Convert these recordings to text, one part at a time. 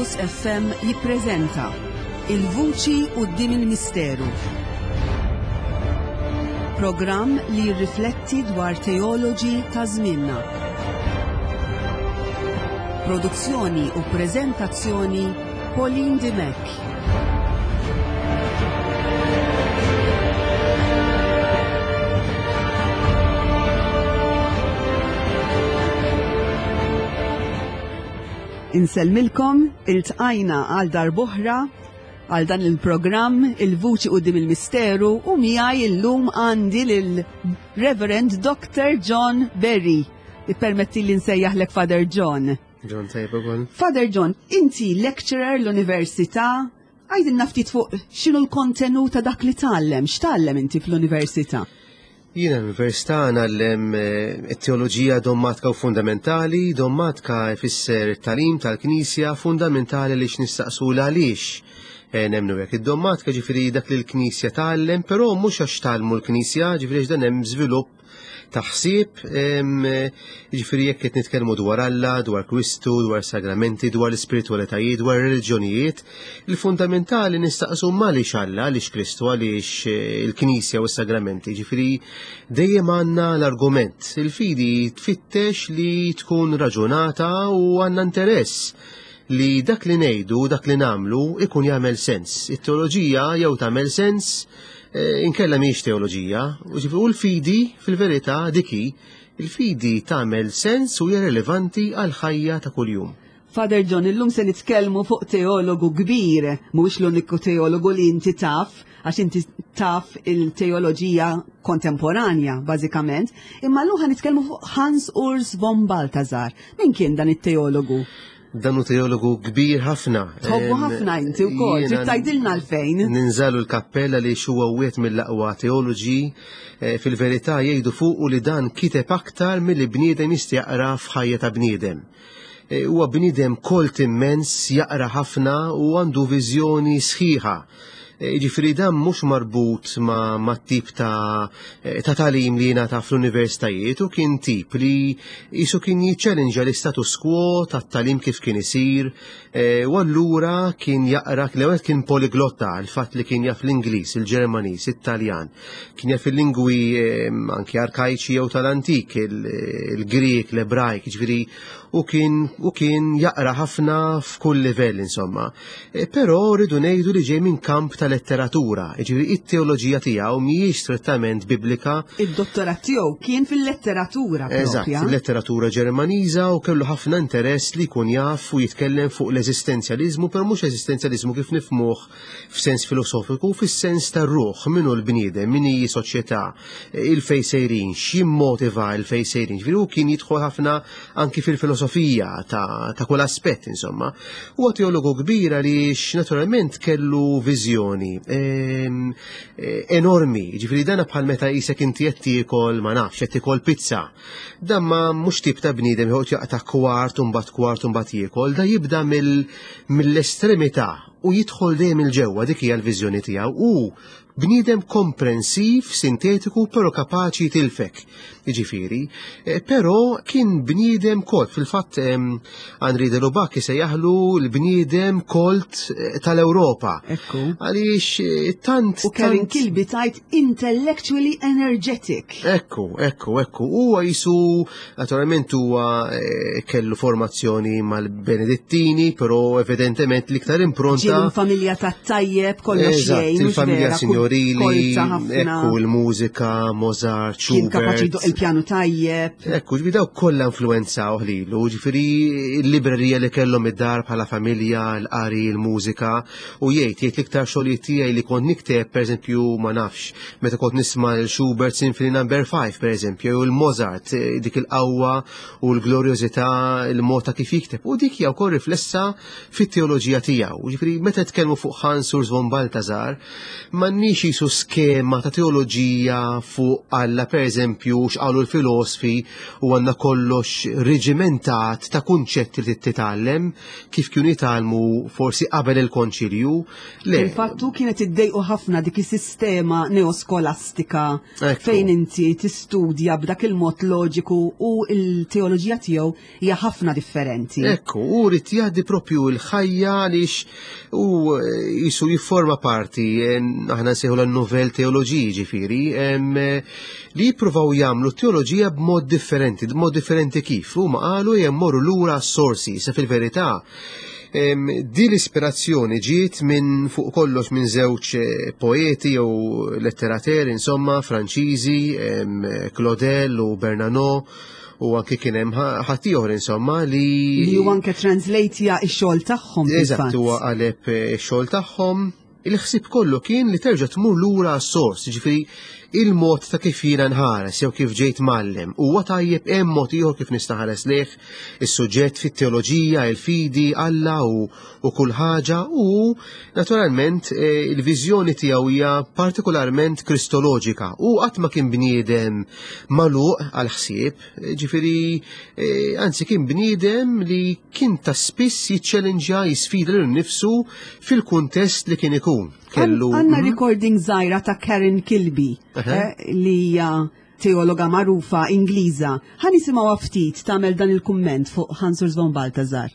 Onlus FM jippreżenta Il-Vuċi quddiem il-Misteru. Programm li jirrifletti dwar teoloġi ta' żmienna. Produzzjoni u preżentazzjoni Pauline Dimech. Insellmilkom, iltqajna għal darb'oħra għal dan il-programm Il-Vuċi Quddiem il-Misteru u miegħi illum għandi lil Reverend Dr. John Berry. Ippermetti li nsejjaħlek Father John. John tajba ukoll. Father John, inti lecturer l-università, għajdilna ftit fuq x'inhu l-kontenut ta' dak li tgħallem, x'tgħallem inti fl-università? Jiena l-università ngħallem eh, it-teoloġija dommatika u fundamentali, dommatika jfisser it-talim tal-Knisja fundamentali li x'nistaqsu l-għaliex eh, nemnu hekk. Id-dommatika ġifieri dak li l-Knisja tgħallem, però mhux għax tgħallmu l-Knisja, ġifieri dan hemm żvilupp ta' ħsieb, jiġifieri jekk qed nitkellmu dwar Alla, dwar Kristu, dwar sagramenti, dwar l-ispiritwalitajiet, dwar reliġjonijiet, il-fundamentali nistaqsu għaliex Alla, għaliex Kristu, għaliex eh, il-Knisja u s-sagramenti. Ġifieri dejjem għandna l-argument. Il-fidi tfittex li tkun raġunata u għandna interess li dak li ngħidu, dak li nagħmlu ikun jagħmel sens. It-teoloġija jew tagħmel sens eh, inkella mhijiex teoloġija, u l-fidi fil-verità diki, il-fidi tagħmel sens u hija relevanti għal ħajja ta' kuljum. Father John, illum se nitkellmu fuq teologu kbir, mhuwiex l-uniku teologu li inti taf, għax inti taf il-teoloġija kontemporanja, bażikament, imma llum ħa nitkellmu fuq Hans Urs von Balthasar. Min kien dan it-teologu? Dan hu teologu kbir ħafna. Tħobbu ħafna inti wkoll, trid tgħidilna għalfejn. Ninżalu l-kappella li huwa wieħed mill-aqwa teoloġi eh, fil-verità jgħidu fuqu li dan kiteb aktar milli bniedem jista' jaqra f'ħajja ta' bniedem. Eh, huwa bniedem kolt immens, jaqra ħafna u għandu viżjoni sħiħa Eh, jiġifieri dan mhux marbut ma', ma tip ta', eh, ta' talim li jingħata fl-universitajiet u kien tip li jisu kien jiċċellinġa l-istatus quo tat-talim kif kien isir eh, u allura kien jaqra l-ewwel kien poliglotta il-fatt li kien jaf l-Ingliż, il-Ġermaniż, it-Taljan, kien jaf il-lingwi anki arkajċi jew tal-antik, il-Grieg, l-Ebrajk, ġifieri u kien u kien jaqra ħafna f'kull livell insomma. E, però rridu ngħidu li ġej minn kamp ta' letteratura, jiġifieri it-teoloġija tiegħu mhijiex strettament biblika. Id-dottorat tiegħu kien fil-letteratura Eżatt, fil-letteratura Ġermaniża u kellu ħafna interess li jkun jaf u jitkellem fuq l-eżistenzjaliżmu, però mhux eżistenzjaliżmu kif nifhmuh f'sens filosofiku, fis-sens tar-ruħ, min hu l-bniedem, min hi soċjetà, il-fej sejrin, x'jimmotiva il-fej sejrin. Ġifieri hu kien jidħol ħafna anki fil-filosofija ta', ta kull aspett, insomma. Huwa teologu kbir għaliex naturalment kellu viżjoni ehm, eh, enormi, ġifieri dana bħal meta qisek inti qed tiekol ma nafx, qed tiekol pizza. Dan ma mhux tip ta' bniedem joqgħod jaqta' kwart u mbagħad kwart u mbagħad jiekol, da jibda mill-estremità u jidħol dejjem il-ġewwa dik hija l-viżjoni tiegħu u bniedem komprensiv, sintetiku, però kapaċi jitilfek. Jiġifieri, eh, però kien bniedem kolt, fil-fatt Henri de Lubac isejjaħlu l-bniedem kolt eh, tal-Ewropa. Ekku. Għaliex eh, tant. U Kevin Kilby tajt intellectually energetic. Ekku, ekku, ekku. Huwa jisu, naturalment huwa kellu formazzjoni mal-Benedittini, però evidentement l-iktar impronta. Ġie familja ta' tajjeb, kollox jgħin. Il-familja signorili, ekku il-mużika, Mozart, Schubert. Kien kapaċi jdoq il-pjanu tajjeb. Ekku, ġifieri dawk kollha influenzaw lilu, ġifieri l-librerija li kellhom id-dar bħala familja, l-qari, il-mużika, u jgħid jgħid l-iktar xogħlijiet tiegħi li kont nikteb, pereżempju, ma nafx, meta kont nisma' l-Schubert Symphony Number 5, pereżempju, jew il-Mozart, eh, dik il-qawwa u l-glorjożità, il-mod ta' kif jikteb. U dik hija wkoll riflessa fit-teoloġija tiegħu. Ġifieri meta tkellmu fuq Hans Urs von Balthasar, m'għandniex Mhix jisu skema ta' teoloġija fuq Alla pereżempju x'qalu l-filosfi u għandna kollox reġimentat ta' kunċetti li titgħallem kif kienu jitgħallmu forsi qabel il-konċilju. Le. Fil-fattu kienet iddejqu ħafna dik is-sistema neoskolastika fejn inti tistudja b'dak il-mod loġiku u l-teoloġija tiegħu hija ħafna differenti. Ekku, u rrid jgħaddi propju l-ħajja għaliex u eh, jisu jifforma parti, eh, aħna nsejħu l-novel teoloġiji ġifieri, eh, li jippruvaw jagħmlu teoloġija b'mod differenti, b'mod differenti kif. Huma qalu jemmorru lura s-sorsi, se fil-verità Din l-ispirazzjoni ġiet minn fuq kollox minn żewġ eh, poeti jew letterateri, insomma, Franċiżi, Claudel u Bernano, u anke kien hemm ħaddieħor insomma li li hu anke translate x-xogħol tagħhom. Eżatt, huwa qaleb eh, x-xogħol tagħhom. Il-ħsieb kollu kien li terġa' tmur lura għas-sors, jiġifieri il-mod ta' kif jiena nħares jew kif ġejt mgħallem. Huwa tajjeb hemm mod ieħor kif nista' ħares lejh is-suġġett fit-teoloġija, il-fidi, Alla u, u kull ħaġa u naturalment eh, il-viżjoni tiegħu hija partikolarment kristoloġika u qatt ma kien bniedem magħluq għal ħsieb, ġifieri eh, anzi kien bniedem li kien ta' spiss jiċċellinġja jisfida lil nifsu fil-kuntest li kien ikun. Kellu Għandna mhm. recording żgħira ta' Karen Kilby eh, li hija teologa magħrufa Ingliża. Ħa nisimgħu ftit tagħmel dan il-kumment fuq Hans Urs von Balthasar.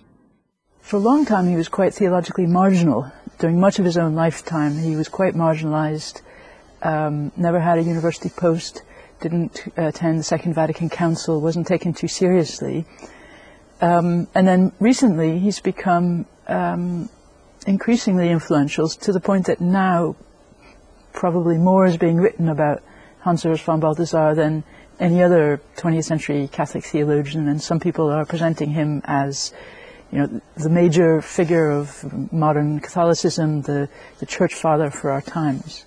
For a long time he was quite theologically marginal. During much of his own lifetime he was quite marginalized, um, never had a university post, didn't attend the Second Vatican Council, wasn't taken too seriously. Um, and then recently he's become um, increasingly influential to the point that now probably more is being written about Hans Urs von Balthasar than any other 20th century Catholic theologian, and some people are presenting him as you know, the major figure of modern Catholicism, the, the church father for our times.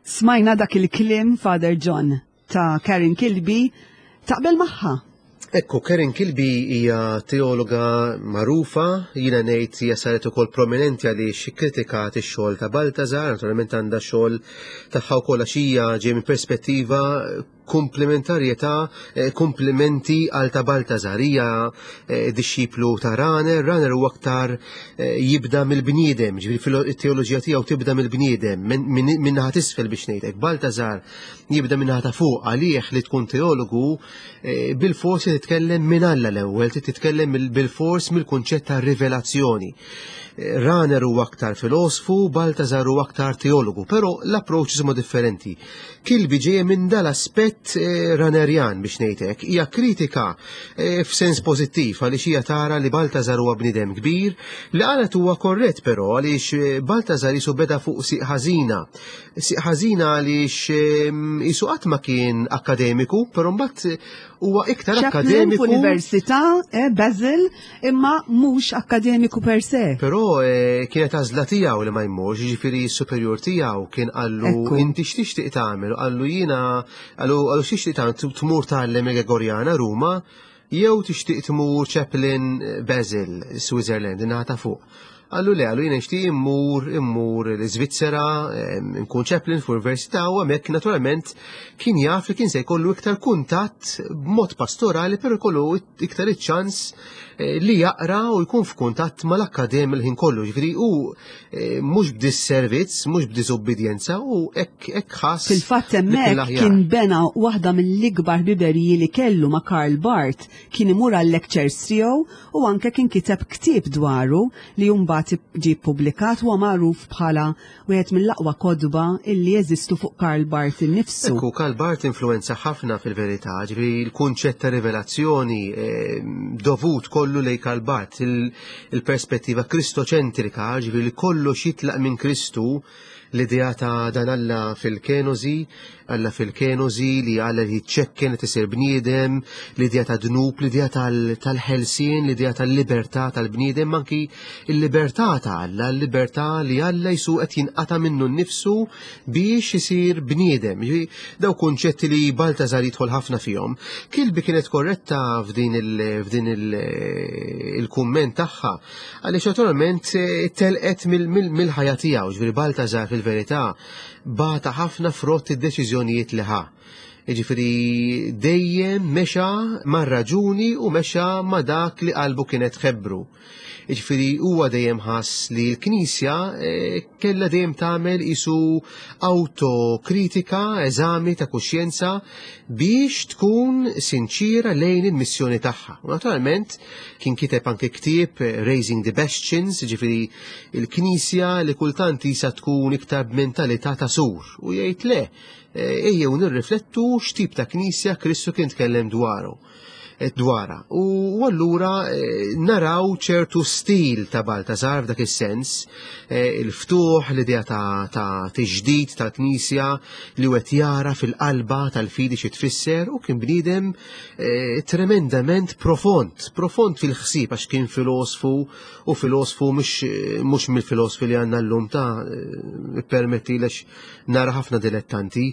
Smajna dak il-kliem Father John ta' Karen Kilby taqbel magħha. Ekku, Karen Kilby hija teologa magħrufa, jiena ngħid hija saret ukoll prominenti għaliex ikkritikat ix-xogħol ta' Baltazar, naturalment għandha xogħol tagħha wkoll għax hija ġej minn perspettiva komplementarjetà, eh, komplimenti għal ta' Baltazar. Hija eh, dixxiplu ta' Raner, Raner huwa aktar eh, jibda mill-bniedem, ġifieri it-teoloġija tiegħu tibda mill-bniedem, minn naħa t'isfel biex ngħidlek. Baltazar jibda minn naħa ta' fuq għalih li tkun teologu bil-fors titkellem minn Alla l-ewwel, titkellem bil-fors mill-kunċett ta' rivelazzjoni. Raner huwa aktar filosfu, Baltazar huwa aktar teologu, però l-approach huma differenti. Kilbi ġejja minn dal-aspett eh, ranerjan biex ngħidlek, hija kritika eh, f'sens pożittiv għaliex hija tara li Baltazar huwa bniedem kbir, li qalet huwa korrett però għaliex eh, Baltazar jisu beda fuq siq ħażina. Siq ħażina għaliex jisu qatt ma kien akademiku, però mbagħad huwa iktar akademiku. F'università, eh, Basil, imma mhux akademiku per se. Però eh, kienet għażla tiegħu li ma jmurx, jiġifieri s-superjur tiegħu kien qallu inti x'tixtieq tagħmel, qallu jiena qallu x'tixtieq tagħmel tmur tgħallem il-Gregorjana Ruma jew tixtieq tmur Chaplain Basil, Switzerland, in-naħa ta' fuq. Qallu le, qallu jiena nixtieq immur immur l-Iżvizzera, nkun chaplain f'università u hemmhekk naturalment kien jaf li kien se jkollu iktar kuntatt b'mod pastorali però jkollu iktar iċ-ċans eh, li jaqra u jkun f'kuntatt mal-akkademi l-ħin kollu. Ġifieri hu eh, mhux b'disservizz, mhux b'diżubbidjenza u hekk hekk ħass. Fil-fatt hemmhekk kien bena waħda mill-ikbar biberiji li kellu ma' Karl Barth kien imur għal-lectures tiegħu u anke kien kiteb ktieb dwaru li mbagħad ġie ppubblikat huwa magħruf bħala wieħed mill-aqwa kotba illi jeżistu fuq Karl Barth innifsu. Ekku, Karl Barth influenza ħafna fil-verità, ġifieri l-kunċett ta' rivelazzjoni eh, dovut kollu lejn Karl Barth, il-perspettiva kristoċentrika, ġifieri li kollox jitlaq minn Kristu, L-idea ta' dan Alla fil-kenożi, Alla fil-kenożi li Alla li jiċċekken li tisir bniedem, l-idea ta' dnub, l-idea tal-ħelsien, l-idea tal-libertà tal-bniedem, anki il-libertà ta' Alla, l-libertà li Alla jisu qed jinqata' minnu nnifsu biex isir bniedem. Daw kunċetti li Baltazar jidħol ħafna fihom. Kilbi kienet korretta f'din il-kumment tagħha Għaliex naturalment eh, telqet mill-ħajja tiegħu, ġifieri Baltazar fil fil-verità bata ħafna frott id-deċiżjonijiet li ħa. Jiġifieri dejjem mexa mar-raġuni u mexa ma' dak li qalbu kienet tħebbru. Jiġifieri huwa dejjem ħass li l-Knisja eh, kellha dejjem tagħmel isu autokritika, eżami ta' kuxjenza biex tkun sinċira lejn il-missjoni tagħha. U naturalment kien kiteb anke ktieb eh, Raising the Bastions, jiġifieri il-Knisja li kultant isa tkun iktar b'mentalità ta' sur u jgħid le, eh, ejjew nirriflettu x'tip ta' Knisja Kristu kien tkellem dwaru. Eh, dwarha. U allura eh, naraw ċertu stil ta' Baltasar f'dak is-sens, eh, il-ftuħ, l-idea ta', ta tiġdid tal-Knisja li wet jara fil-qalba tal-fidi xi tfisser u kien bniedem tremendament profond, profond fil-ħsieb għax kien filosfu u filosfu mhux mill-filosfi li għandna llum ta' permetti lex nara ħafna dilettanti,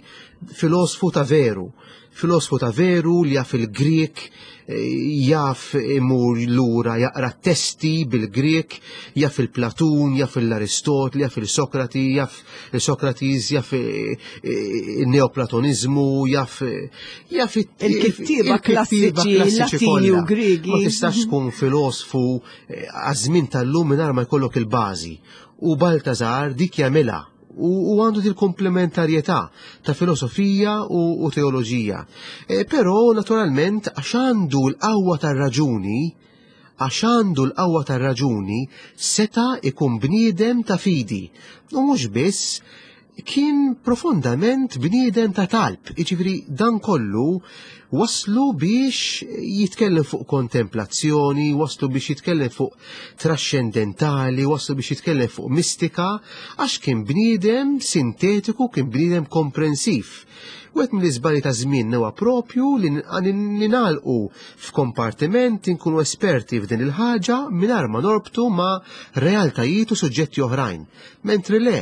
filosfu ta' veru Filosfu ta' veru li jaf il-Grieg, eh, jaf imur lura jaqra testi bil-Grieg, jaf il-Platun, jaf l-Aristotli, jaf il-Sokrati, jaf il-Sokratis, jaf eh, eh, il-Neoplatonizmu, jaf jaf il-kittieba klassiċi Latini u Griegi. Ma tistax tkun filosfu għaż-żmien tal-lum mingħajr ma jkollok il-bażi. U Baltazar dik jagħmilha u għandu dil komplementarjetà ta' filosofija u, u teoloġija. E, però naturalment għax għandu l-qawwa tar-raġuni, għax għandu l-qawwa tar-raġuni seta' ikun bniedem ta' fidi. U mhux biss kien profondament bniedem ta' talb, jiġifieri dan kollu waslu biex jitkellem fuq kontemplazzjoni, waslu biex jitkellem fuq traxxendentali, waslu biex jitkellem fuq mistika, għax kien bniedem sintetiku, kien bniedem komprensiv. Wieħed mill-iżbalji ta' żmien huwa propju li ninalqu f'kompartiment inkunu esperti f'din il-ħaġa mingħajr ma norbtu ma' realtajiet u suġġetti oħrajn. Mentri le,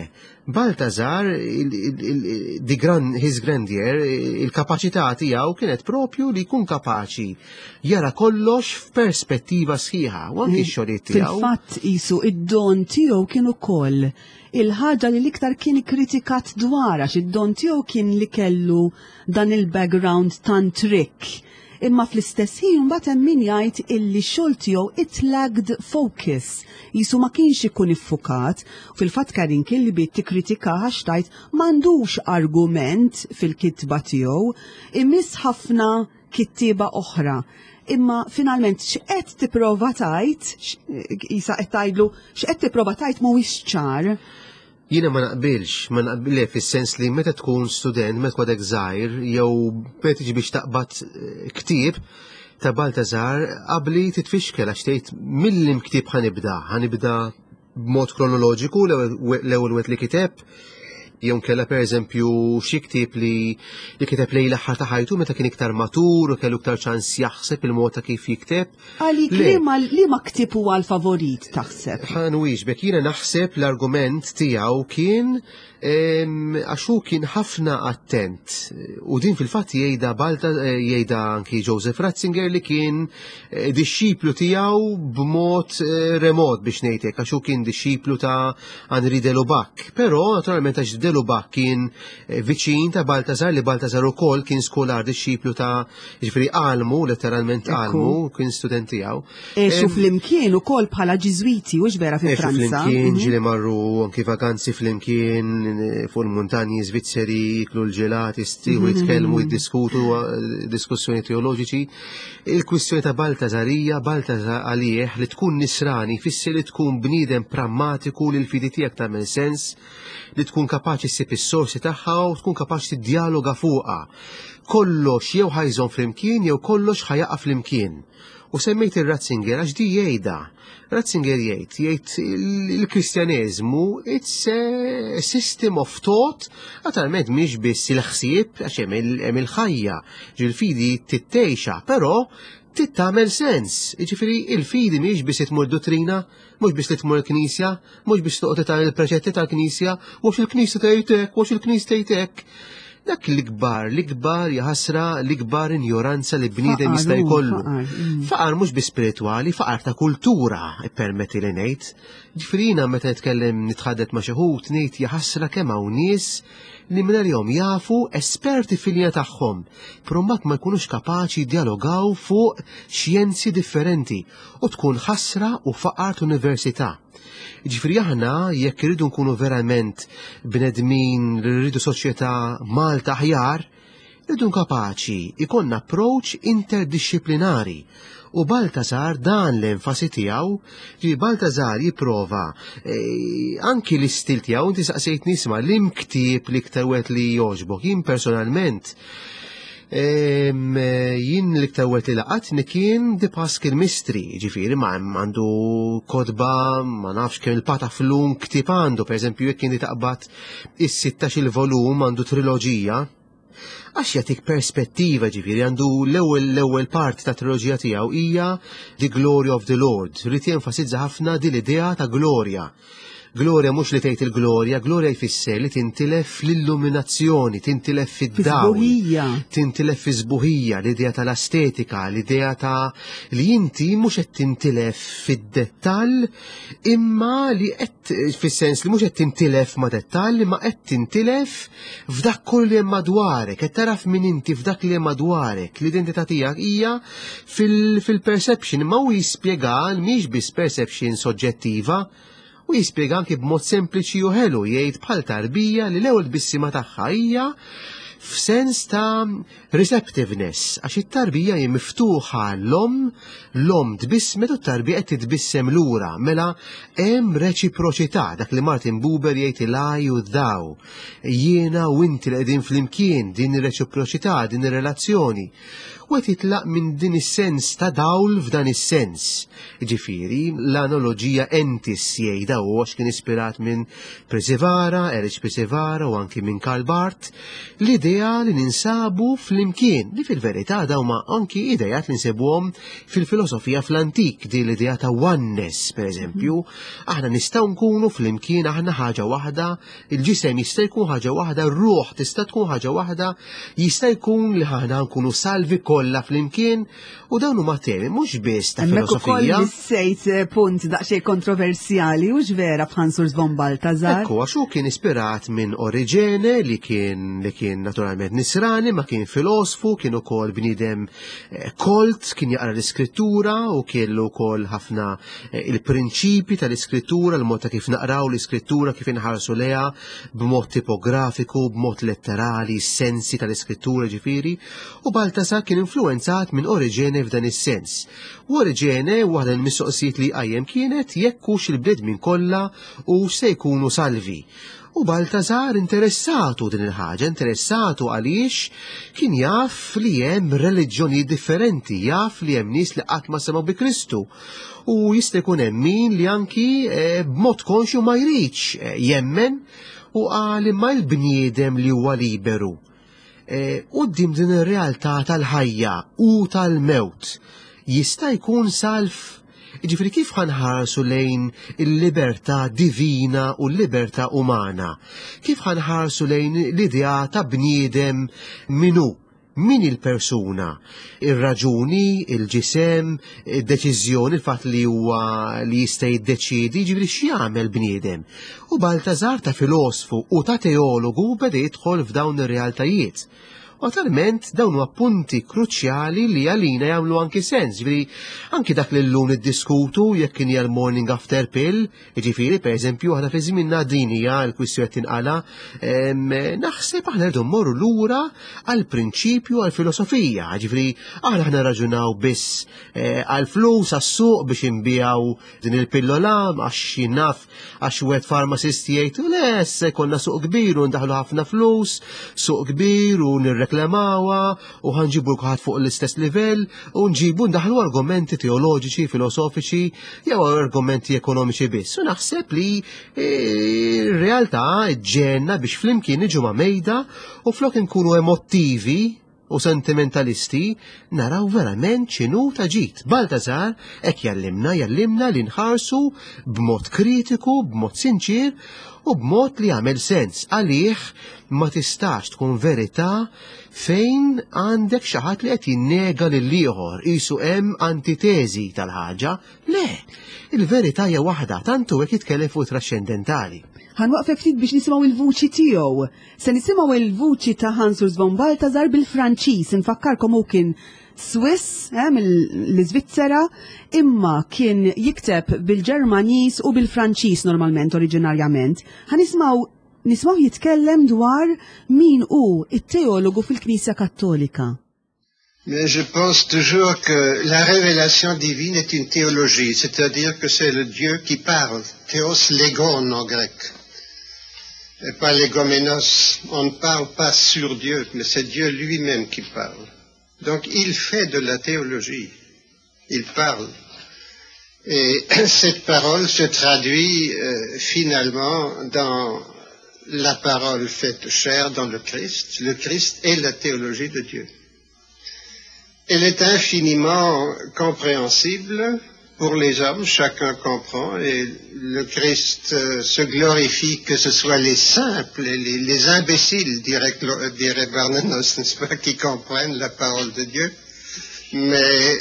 Baltazar, the grand, his grandeur, il-kapaċità tiegħu kienet propju li jkun kapaċi jara kollox f'perspettiva sħiħa, u anki x-xogħlijiet tiegħu. Fil-fatt isu id-don tiegħu kien ukoll il-ħaġa li l-iktar kien ikkritikat dwar għax id-don tiegħu kien li kellu dan il-background tant rikk Imma fl-istess ħin mbagħad hemm min jgħid illi x-xogħol tiegħu it lacked focus, qisu ma kienx ikun iffukat. Fil-fatt Karin Kilby tikkritikah għax tgħid m'għandux argument fil-kitba tiegħu, imiss ħafna kittieba oħra. Imma finalment x'qed tipprova tgħid, qisha qed tgħidlu x'qed tipprova tgħid mhuwiex ċar. Jiena ma naqbilx, ma naqbil le fis-sens li meta tkun student, meta tkun għadek żgħir, jew meta tiġi biex taqbad eh, ktieb ta' Baltazar, qabli titfixkel għax tgħid mill ktieb ħanibda, ħanibda b'mod kronoloġiku l-ewwel wieħed li kiteb, jew kella pereżempju xi ktieb li li kiteb lejn l-aħħar ta' ħajtu meta kien iktar matur u kellu iktar ċans jaħseb il-mod ta' kif jikteb. Għalik li ma ktieb huwa l-favorit taħseb? Ħa nwieġbek, jiena naħseb l-argument tiegħu kien għax hu kien ħafna attent u din fil-fatt jgħidha Balta eh, jgħidha anki Joseph Ratzinger li kien eh, dixxiplu tiegħu b'mod eh, remot biex ngħidlek għax hu kien dixxiplu ta' Henri de Lubac. Però naturalment għax de Lubac kien viċin ta' Baltazar li Baltazar ukoll kien skolar dixxiplu ta' Ġifieri għalmu, letteralment għalmu, kien student tiegħu. Għexu flimkien ukoll bħala Ġiżwiti, hux vera fi Franza. Flimkien, mhm. ġieli marru anki vakanzi flimkien eh, fuq il-muntanji Svizzeri, jiklu l-ġelati, stiħu mhm. jitkellmu, jiddiskutu eh, diskussjoni teoloġiċi. Il-kwistjoni ta' Baltazarija, Baltazar għalih li tkun nisrani fisser li tkun bniedem prammatiku li l-fidi tiegħek tagħmel sens, li tkun kapaċi ssib is-sorsi tagħha u tkun kapaċi tiddialoga fuqha. Kollox jew ħa jżomm flimkien jew kollox ħa jaqa' flimkien. U semmejt ir-Ratzinger għax di jgħidha. Ratzinger jgħid, jgħid il-Kristjaneżmu it's a system of thought, naturalment mhix biss il-ħsieb għax hemm il-ħajja, ġil-fidi tittejxa, però tittamel sens. Jiġifieri il-fidi mhix biss tmur dottrina, mhux biss li tmur il-knisja, mhux biss toqgħod tagħmel il-preċetti tal-knisja, mhux il-knisja tgħid hekk, mhux il-knisja tgħid hekk. Dak l-ikbar, l-ikbar jaħasra, l-ikbar injoranza li bniedem jista' jkollu. Faqar, Faqar mhux bi spiritwali, faqar ta' kultura, ippermetti li ngħid. Ġifieri jiena meta nitkellem nitħaddet ma' xi ħut ngħid jaħasra kemm hawn nies li mingħalihom jafu esperti fil-linja tagħhom, però mbagħad ma jkunux kapaċi jiddialogaw fuq xjenzi differenti u tkun ħasra u faqar università. Ġifieri aħna jekk irridu nkunu verament bnedmin li rridu soċjetà Malta aħjar, irridu kapaċi ikollna approach interdixxiplinari. U Balthasar dan l-enfasi tiegħu, ġi Balthasar jipprova anki l-istil tiegħu, inti saqsejt nisma' l-imktieb l-iktar wieħed li jogħġbok, jien personalment jien l-iktar wieħed li laqatni kien The Paschal Mystery, ġifieri ma għandu kotba, ma nafx kemm il-pataflun ktieb għandu, pereżempju jekk inti taqbad is-16 il-volum għandu triloġija, għax jagħtik perspettiva, ġifieri għandu l-ewwel parti ta' triloġija tiegħu hija The Glory of the Lord, li jenfasizza ħafna din l-idea ta' glorja. Glorja mhux li tgħid il-glorja, glorja jfisser li tintilef fl-illuminazzjoni, tintilef fid-dawl. Tintilef fi sbuħija, l-idea tal-estetika, l-idea ta' li inti mhux qed tintilef fid-dettall, imma li qed fis-sens li mhux qed tintilef ma' dettall, imma qed tintilef f'dak kollu li hemm madwarek, qed taraf min inti f'dak li hemm madwarek, l-identità tiegħek hija fil-perception, imma hu jispjega mhix biss perception soġġettiva, u jispjega anki b'mod sempliċi u ħelu, jgħid bħal tarbija li l-ewwel tbissima tagħha hija f'sens ta' receptiveness, għax it-tarbija hi miftuħa l-omm, l-omm tbissmet u t-tarbija qed titbissem lura, mela hemm reċiproċità, dak li Martin Buber jgħid il-I u thou, jiena u inti li qegħdin flimkien, din ir-reċiproċità, din ir-relazzjoni. U qed jitlaq minn din is-sens ta' dawl f'dan is-sens. Ġifieri, l-analoġija entis jgħidha hu għax kien ispirat minn Przywara, Erich Przywara u anki minn Karl Barth, l-idea li ninsabu flimkien, li fil-verità dawn ma anki idejat li nsibuhom fil-filosofija fl-antik, din l-idea ta' oneness, per eżempju, aħna nistgħu nkunu flimkien, aħna ħaġa waħda, il-ġisem jista' jkun ħaġa waħda, r-ruħ tista' tkun ħaġa waħda, jista' jkun li aħna nkunu salvi kollha flimkien, u dawn huma temi mhux biss ta' Hemmhekk ukoll filosofija. missejt punt daqsxejn kontroversjali, hux vera b'Hans Urs von Balthasar? Ekku, għax hu kien ispirat minn Origene li kien naturalment nisrani, ma kien filosfu, kien ukoll bniedem kolt, kien jaqra l-iskrittura u kellu wkoll ħafna il-prinċipi tal-iskrittura, l-mod ta' kif naqraw l-iskrittura, kif inħarsu leha b'mod tipografiku, b'mod letterali, sensi tal-iskrittura ġifieri, u Balthasar kien influenzat minn Origene f'dan is-sens. U Origene, waħda mill-mistoqsijiet li qajjem kienet jekk hux il-bnedmin kollha u se jkunu salvi. U Balthasar interessatu din il-ħaġa, interessatu għaliex kien jaf li hemm reliġjoni differenti, jaf li hemm nies li qatt ma semgħu bi Kristu. U jista' jkun hemm min li anki b'mod konxju ma jridx jemmen, u qal imma l-bniedem li huwa liberu. Quddiem din ir-realtà tal-ħajja u tal-mewt jista' jkun salv. Ġifieri kif ħanħarsu lejn il-libertà divina u l-libertà umana? Kif ħanħarsu lejn l-idea ta' bniedem minu? Min il-persuna? Ir-raġuni, il-ġisem, id-deċiżjoni, il-fatt li huwa li jista' jiddeċiedi, ġifieri x'jagħmel bniedem? U Balthasar ta' filosfu u ta' teologu beda jidħol f'dawn ir-realtajiet. U naturalment dawn huma punti kruċjali li għalina jagħmlu anki sens, ġifieri anki dak li llum niddiskutu jekk kien hija l-morning after pill, jiġifieri pereżempju aħna fi żmienna din hija l-kwistjoni qed tinqala, naħseb aħna rridu mmorru lura għall-prinċipju għall-filosofija, ġifieri aħna ħna raġunaw biss għall-flus, għas-suq biex inbijaw din il-pillola, għax jien naf, għax wieħed pharmacist jgħid, le, se jkollna suq kbir u ndaħlu ħafna flus, suq kbir u nirreklamawha u ħanġibu kulħadd fuq l-istess livell u nġibu ndaħlu argumenti teoloġiċi, filosofiċi jew argumenti ekonomiċi biss. U naħseb li r-realtà ġenna biex flimkien niġu ma' mejda u flok inkunu emottivi. u sentimentalisti, naraw verament x'inhu ta' ġid. Baltazar hekk jallimna, jallimna li nħarsu b'mod kritiku, b'mod sinċir u b'mod li jagħmel sens għalih ma tistax tkun verità fejn għandek xi ħadd li qed jinnega lil ieħor qisu hemm antiteżi tal-ħaġa. Le, il-verità hija waħda, tant hu hekk jitkellem fuq trascendentali. Ħanwaqfek ftit biex nisimgħu il-vuċi tiegħu. Se nisimgħu il-vuċi ta' Hans Urs von Balthasar bil-Franċiż, infakkarkom hu kien Swiss eh, mill-Iżvizzera, imma kien jikteb bil-Ġermaniż u bil-Franċiż normalment oriġinarjament. Ħa nisimgħu nisimgħu jitkellem dwar min hu it-teologu fil-Knisja Kattolika. Mais je pense toujours que la révélation divine est une théologie, c'est-à-dire que c'est le Dieu qui parle, théos legon en grec, et pas legomenos. On ne parle pas sur Dieu, mais c'est Dieu lui-même qui parle. Donc il fait de la théologie, il parle. Et cette parole se traduit euh, finalement dans la parole faite chair dans le Christ. Le Christ est la théologie de Dieu. Elle est infiniment compréhensible pour les hommes, chacun comprend, et le Christ euh, se glorifie que ce soit les simples, les, les imbéciles, dirait, dirait Barnanos, n'est-ce pas, qui comprennent la parole de Dieu. Mais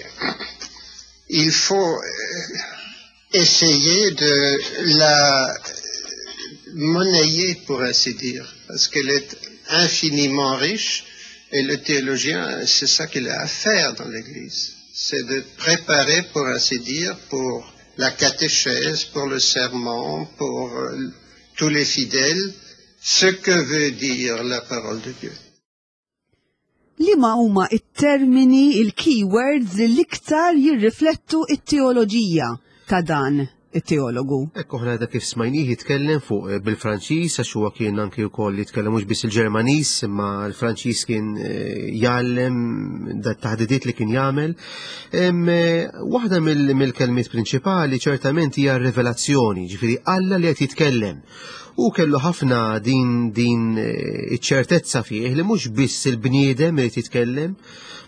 il faut euh, essayer de la monnayer, pour ainsi dire, parce qu'elle est infiniment riche, et le théologien, c'est ça qu'il a à faire dans l'Église. C'est de préparer, pour ainsi dire, pour la catéchèse, pour le serment, pour euh, tous les fidèles, ce que veut dire la parole de Dieu. Liema huma it-termini, il-keywords li l-iktar jirriflettu it-teoloġija ta' dan it-teologu? Ekku ħna da kif smajnih jitkellem fuq eh, bil-Franċiż għax huwa kien anki wkoll jitkellem mhux biss il-Ġermaniż imma l-Franċiż kien eh, jgħallem da taħdidiet li kien jagħmel. Eh, waħda mill-kelmiet prinċipali ċertament hija r-rivelazzjoni, ġifieri Alla li qed jitkellem. Hu kellu ħafna din din eh, iċ-ċertezza fih li mhux biss il-bniedem irid jitkellem,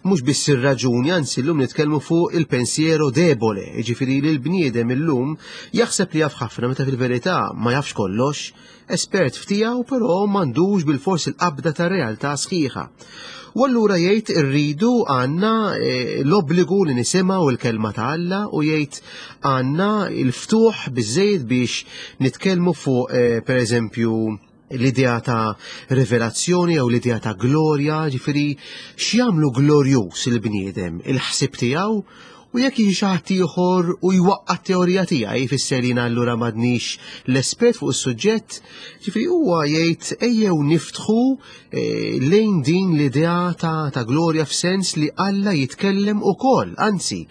mhux biss ir-raġuni, anzi llum nitkellmu fuq il-pensiero debole, jiġifieri li l-bniedem illum jaħseb li jaf ħafna meta fil-verità ma jafx kollox, espert f'tiegħu però m'għandux bilfors il-qabda tar-realtà sħiħa. U allura jgħid irridu għandna eh, l-obbligu li nisimgħu l-kelma ta' Alla u jgħid għandna l-ftuħ biżejjed biex nitkellmu fuq eh, pereżempju l-idea ta' rivelazzjoni jew l-idea ta' glorja, ġifieri x'jagħmlu glorjuż il-bniedem, il-ħsieb tiegħu U jekk jiġi xi ħadd ieħor u jwaqqa' t-teorija tiegħi jfisser jiena allura m'għadnix l-espert fuq is-suġġett. Ġifieri huwa jgħid ejjew niftħu eh, lejn din l-idea ta', ta glorja f'sens li Alla jitkellem ukoll, anzi,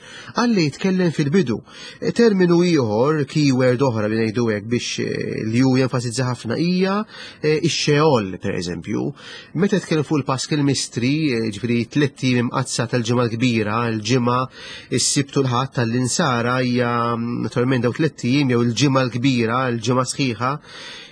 Alla jitkellem fil-bidu. Eh, terminu ieħor, keyword oħra li ngħidu hekk biex eh, li hu jenfasizza ħafna hija ix-xeol, pereżempju. Meta tkellem fuq il-Paschal Mystery, eh, ġifieri tlett ijiem imqaddsa tal-Ġimgħa l-Kbira, il-Ġimgħa, is-Sibt u l-Ħadd tal-Insara hija mm, naturalment daw tlett ijiem jew il-Ġimgħa l-Kbira, il-Ġimgħa sħiħa,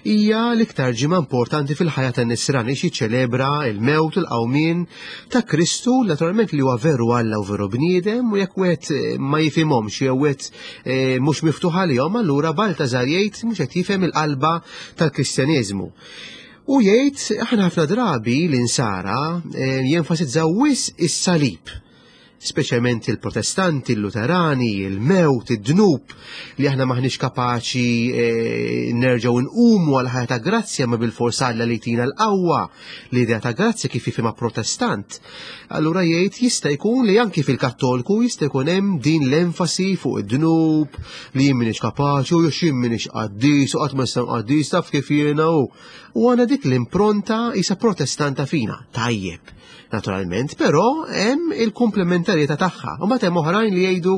hija l-iktar ġimgħa importanti fil-ħajja tan-Nisrani xi ċelebra il-mewt u l-qawmien ta' Kristu, naturalment li huwa veru Alla u veru bniedem u jekk wieħed eh, ma jifhimhomx jew wieħed eh, mhux miftuħ għalihom, allura Baltazar jgħid mhux qed jifhem il-qalba tal-Kristjaneżmu. U jgħid aħna ħafna drabi l-insara eh, jenfasizzaw wis is-salib speċjalment il-protestanti, il-luterani, il-mewt, id-dnub, li aħna maħniex kapaċi eh, nerġgħu nqumu għal ħajja ta' grazzja ma bil-fors Alla li tina l-qawwa l-idea ta' grazzja kif jifhimha protestant. Allura jgħid jista' jkun li anki fil-Kattolku jista' jkun hemm din l-enfasi fuq id-dnub li jien m'iniex kapaċi u jien m'iniex qaddis u qatt ma nista' qaddis taf kif jiena u U għandna dik l-impronta isa protestanta fina. Tajjeb, naturalment, però hemm il-komplementarjetà tagħha. U mbagħad hemm oħrajn li jgħidu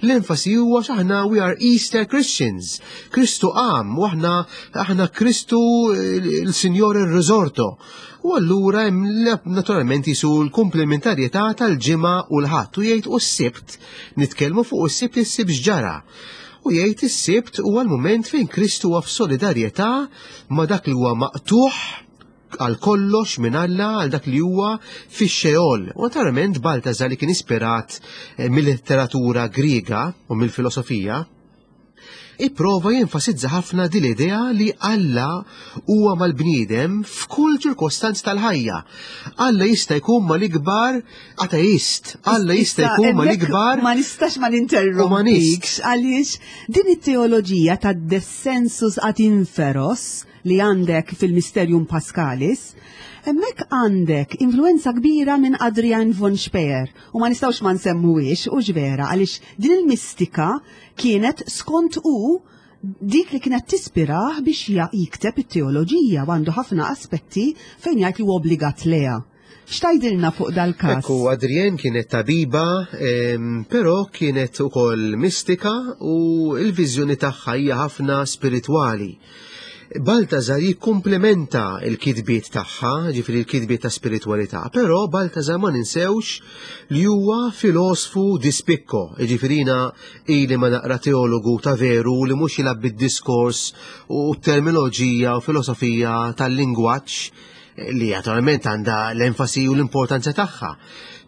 l-enfasi huwa x'aħna we are Easter Christians. Kristu qam u aħna aħna Kristu l-Sinjor ir-Risorto. U allura hemm naturalment jisu l-komplementarjetà tal-ġimgħa u l-ħadd u jgħid u s-sibt nitkellmu fuq is-sibt is-sibt x'ġara. U jgħid is-Sibt huwa l-mument fejn Kristu huwa f'solidarjetà ma' dak li huwa maqtugħ għal kollox minn Alla għal dak li huwa fix-Xeol. U naturalment Baltazar li kien ispirat eh, mill-letteratura Griega u mill-filosofija, ipprova jenfasizza ħafna din l-idea li Alla huwa mal-bniedem f'kull ċirkostanz tal-ħajja. Alla jista' jkun mal-ikbar ateist, Alla jista' jkun mal-ikbar Ma nistax ma ninterrompikx għaliex din it-teoloġija ta' descensus ad inferos li għandek fil-Mysterium Paschalis, hemmhekk għandek influenza kbira minn Adrian von Speyer u ma nistgħux ma nsemmuhiex u vera għaliex din il-mistika kienet skont hu dik li kienet tispirah biex jikteb it-teoloġija u għandu ħafna aspetti fejn jgħid li huwa obbligat leha. X'tgħidilna fuq dal-każ? Ekku, Adrienne kienet tabiba, però kienet ukoll mistika u l-viżjoni tagħha hija ħafna spiritwali. Baltazar jikkumplementa l-kitbiet tagħha, ġifieri l-kitbiet ta' spiritwalità, però Baltazar ma ninsewx li huwa filosfu di spicco, ġifieri jiena ili ma naqra teologu ta' veru li mhux jilgħab bid-diskors u t-terminoloġija u filosofija tal-lingwaġġ li naturalment għandha l-enfasi u l-importanza tagħha.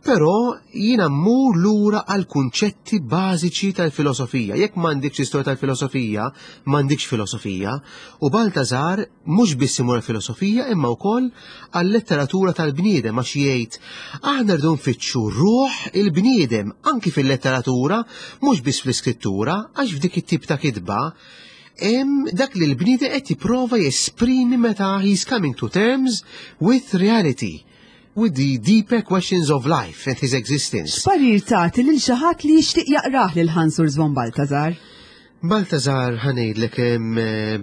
Però jiena mmur lura għal kunċetti bażiċi tal-filosofija. Jekk m'għandikx istorja tal-filosofija, m'għandikx filosofija. U Baltazar mhux biss imur għall-filosofija imma wkoll għal-letteratura tal-bniedem għax jgħid aħna rridu nfittxu ruħ il-bniedem anki fil-letteratura, mhux biss fl-iskrittura, għax f'dik it-tip ta' kitba hemm dak li l-bniedem qed jipprova jesprimi meta he's coming to terms with reality, with the deeper questions of life and his existence. X'parir tagħti lil xi ħadd li jixtieq jaqrah lil Hans Urs von Balthasar? Balthasar ħa ngħidlek hemm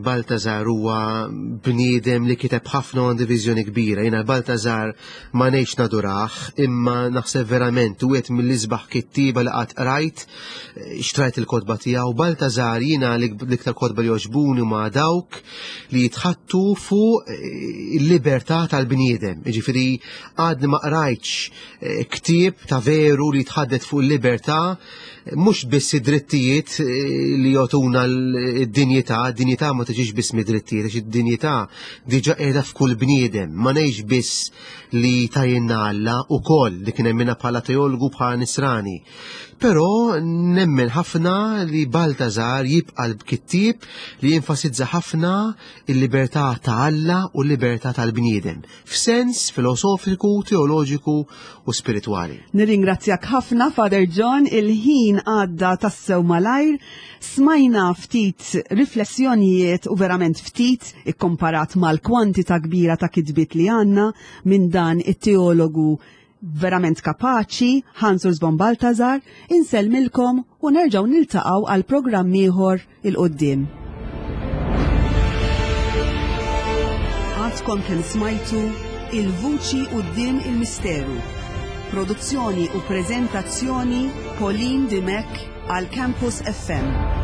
Balthasar huwa bniedem li kiteb ħafna u għandu viżjoni kbira. Jiena Balthasar ma ngħidx nadurah, imma naħseb verament wieħed mill-isbaħ kittieba li qatt qrajt, xtrajt il-kotba tiegħu. Baltazar jiena l-iktar kotba li jogħġbuni huma dawk li jitħattu fuq eh, il-libertà tal-bniedem. Jiġifieri għadni ma qrajtx eh, ktieb ta' veru li jitħaddet fuq il-libertà mhux biss id-drittijiet eh, li jogħtuna d-dinjità, d-dinjità ma tiġix biss mid-drittijiet, għax id-dinjità diġà qiegħda f'kull bniedem, ma ngħidx biss li tajinna Alla ukoll li kien hemm bħala teologu bħala nisrani. Però nemmen ħafna li Baltazar jibqa' l-kittieb li jenfasizza ħafna il-libertà ta' Alla u l-libertà tal-bniedem, f'sens filosofiku, teoloġiku u spiritwali. Nirringrazzjak ħafna, Father John, il-ħin għadda tassew malajr. Smajna ftit riflessjonijiet u verament ftit ikkomparat mal-kwantità kbira ta' kitbiet li għandna minn dan it-teologu verament kapaċi, Hans Urs von Balthasar, insellmilkom u nerġgħu niltaqgħu għal programm ieħor il-qudiem. Għadkom kemm smajtu Il-Vuċi Quddiem il-Misteru. Produzzjoni u preżentazzjoni Pauline Dimech għal Campus FM.